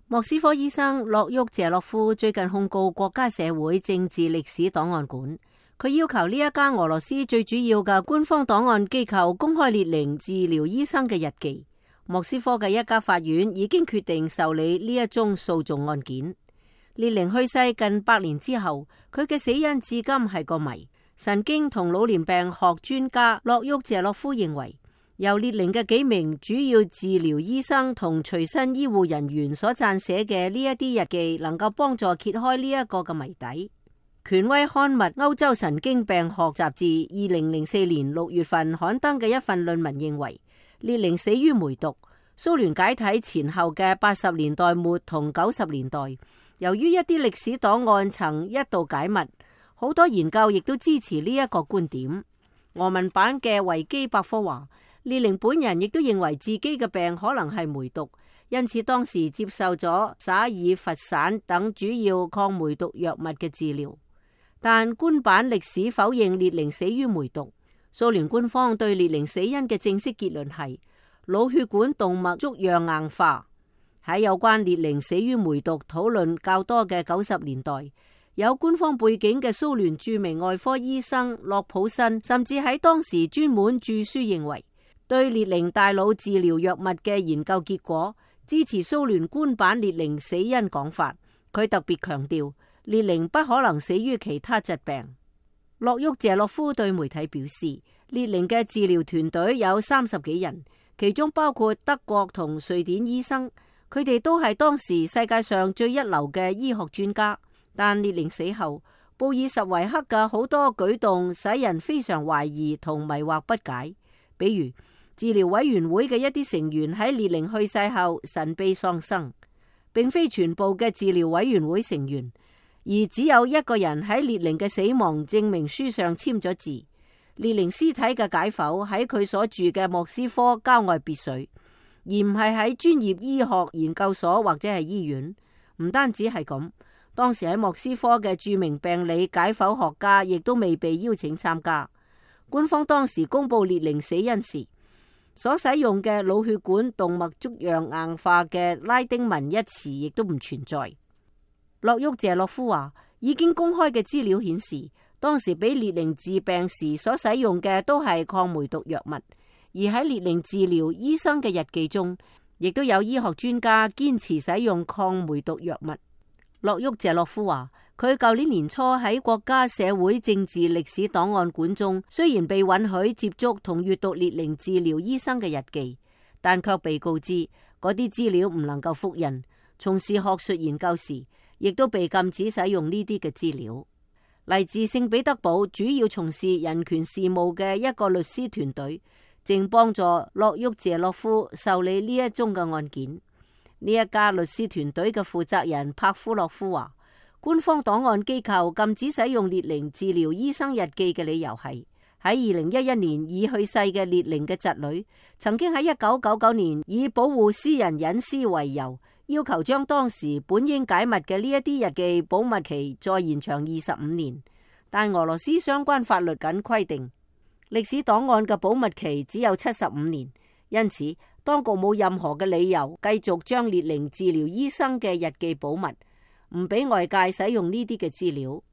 莫斯科醫生洛沃謝洛夫最近控告國家社會政治歷史檔案館，佢要求呢一家俄羅斯最主要嘅官方檔案機構公開列寧治療醫生嘅日記。莫斯科嘅一家法院已經決定受理呢一宗訴訟案件。列寧去世近100年之後，佢嘅死因至今係個謎。神經同老年病學專家洛沃謝洛夫認為，由列寧嘅幾名主要治療醫生同隨身醫護人員所撰寫嘅呢一啲日記，能夠幫助揭開呢一個嘅謎底。權威刊物《歐洲神經病學雜誌》2004年6月份刊登嘅一份論文認為，列寧死於梅毒。蘇聯解體前後嘅80年代末同90年代，由於一啲歷史檔案曾一度解密，好多研究亦都支持呢一個觀點。俄文版嘅維基百科話，列寧本人亦都認為自己嘅病可能係梅毒，因此當時接受咗沙爾佛散等主要抗梅毒藥物嘅治療。但官版歷史否認列寧死於梅毒。蘇聯官方對列寧死因嘅正式結論係腦血管動脈粥樣硬化。喺有關列寧死於梅毒討論較多嘅90年代，有官方背景嘅蘇聯著名外科醫生洛普申甚至喺當時專門著書認為，對列寧大腦治療藥物嘅研究結果支持蘇聯官版列寧死因講法。佢特別強調，列寧不可能死於其他疾病。洛沃謝洛夫對媒體表示，列寧嘅治療團隊有30幾人，其中包括德國同瑞典醫生，佢哋都係當時世界上最一流嘅醫學專家。但列寧死後，布爾什維克嘅好多舉動使人非常懷疑同迷惑不解。比如，治療委員會嘅一啲成員喺列寧去世後神秘喪生，並非全部嘅治療委員會成員，而只有一個人喺列寧嘅死亡證明書上簽咗字。列寧屍體嘅解剖喺佢所住嘅莫斯科郊外別墅，而唔係喺專業醫學研究所或者係醫院。唔單止係咁，當時喺莫斯科嘅著名病理解剖學家亦都未被邀請參加。官方當時公布列寧死因時，所使用嘅腦血管動脈粥樣硬化嘅拉丁文一詞亦都唔存在。洛沃謝洛夫話，已經公開嘅資料顯示，當時俾列寧治病時所使用嘅都係抗梅毒藥物，而喺列寧治療醫生嘅日記中，亦都有醫學專家堅持使用抗梅毒藥物。洛沃謝洛夫話，佢舊年年初喺國家社會政治歷史檔案館中，雖然被允許接觸同閱讀列寧治療醫生嘅日記，但卻被告知嗰啲資料唔能夠複印。從事學術研究時，亦都被禁止使用呢啲嘅資料。嚟自聖彼得堡主要從事人權事務嘅一個律師團隊，正幫助洛沃謝洛夫受理呢一宗嘅案件。呢一家律師團隊嘅負責人帕夫洛夫話，官方檔案機構禁止使用列寧治療醫生日記嘅理由係，喺2011年已去世嘅列寧嘅侄女曾經喺1999年以保護私人隱私為由，要求將當時本應解密嘅呢一啲日記保密期再延長25年，但俄羅斯相關法律僅規定歷史檔案嘅保密期只有75年，因此當局冇任何嘅理由繼續將列寧治療醫生嘅日記保密，唔俾外界使用呢啲嘅資料。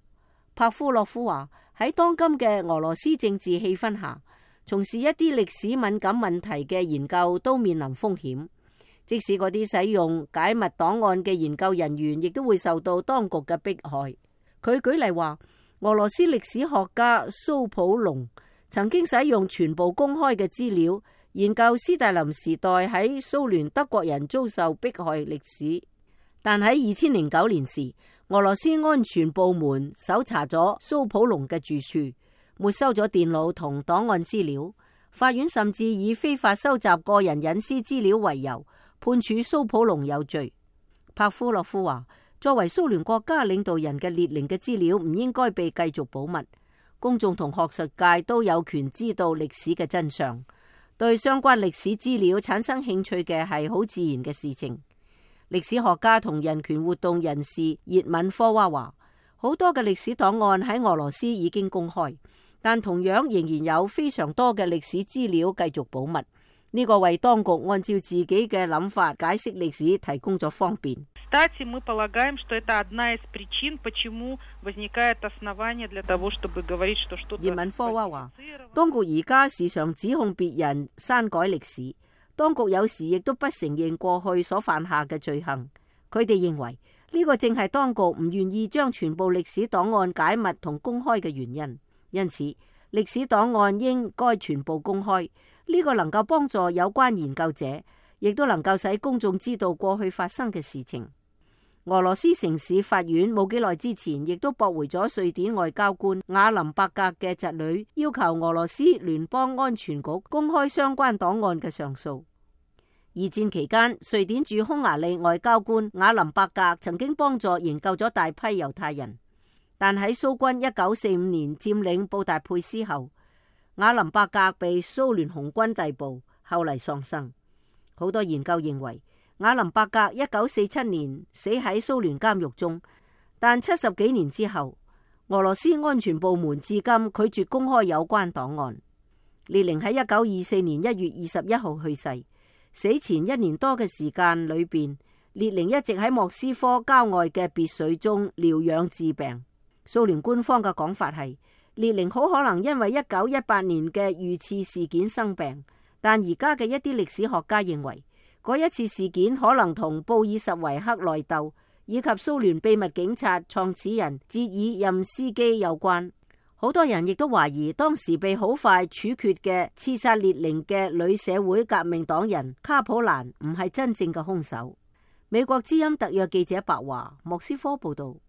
帕夫洛夫話，喺當今嘅俄羅斯政治氣氛下，從事一啲歷史敏感問題嘅研究都面臨風險，即使嗰啲使用解密檔案嘅研究人員亦都會受到當局嘅迫害。佢舉例話，俄羅斯歷史學家蘇普隆曾經使用全部公開嘅資料研究斯大林時代喺蘇聯德國人遭受迫害歷史，但喺2009年時，俄羅斯安全部門搜查咗蘇普隆嘅住處，沒收咗電腦同檔案資料。法院甚至以非法收集個人隱私資料為由，判處蘇普隆有罪。帕夫洛夫話，作為蘇聯國家領導人嘅列寧嘅資料唔應該被繼續保密，公眾同學術界都有權知道歷史嘅真相。對相關歷史資料產生興趣嘅係好自然嘅事情。歷史學家同人權活動人士葉敏科娃話，好多嘅歷史檔案喺俄羅斯已經公開，但同樣仍然有非常多嘅歷史資料繼續保密。呢個為當局按照自己嘅諗法解釋歷史提供咗方便。Кстати, мы полагаем, что это одна из причин, почему возникает основание для того, чтобы говорить, что что-то... 葉敏科娃話，當局而家時常指控別人刪改歷史，當局有時亦都不承認過去所犯下嘅罪行。佢哋認為呢個正係當局唔願意將全部歷史檔案解密同公開嘅原因。因此，歷史檔案應該全部公開。呢個能夠幫助有關研究者，亦都能夠使公眾知道過去發生嘅事情。俄羅斯城市法院冇幾耐之前，亦都駁回咗瑞典外交官瓦林伯格嘅侄女要求俄羅斯聯邦安全局公開相關檔案嘅上訴。二戰期間，瑞典駐匈牙利外交官瓦林伯格曾經幫助營救咗大批猶太人，但喺蘇軍1945年佔領布達佩斯後，瓦林伯格被蘇聯紅軍逮捕，後嚟喪生。好多研究認為，瓦林伯格1947年死喺蘇聯監獄中，但70幾年之後，俄羅斯安全部門至今拒絕公開有關檔案。列寧喺1924年1月21號去世，死前1年多嘅時間裏邊，列寧一直喺莫斯科郊外嘅別墅中療養治病。蘇聯官方嘅講法係，列寧好可能因為1918年嘅遇刺事件生病，但而家嘅一啲歷史學家認為，嗰一次事件可能同布爾什維克內鬥以及蘇聯秘密警察創始人捷爾任斯基有關。好多人亦都懷疑當時被好快處決嘅刺殺列寧嘅女社會革命黨人卡普蘭唔係真正嘅兇手。美國之音特約記者白華，莫斯科報道。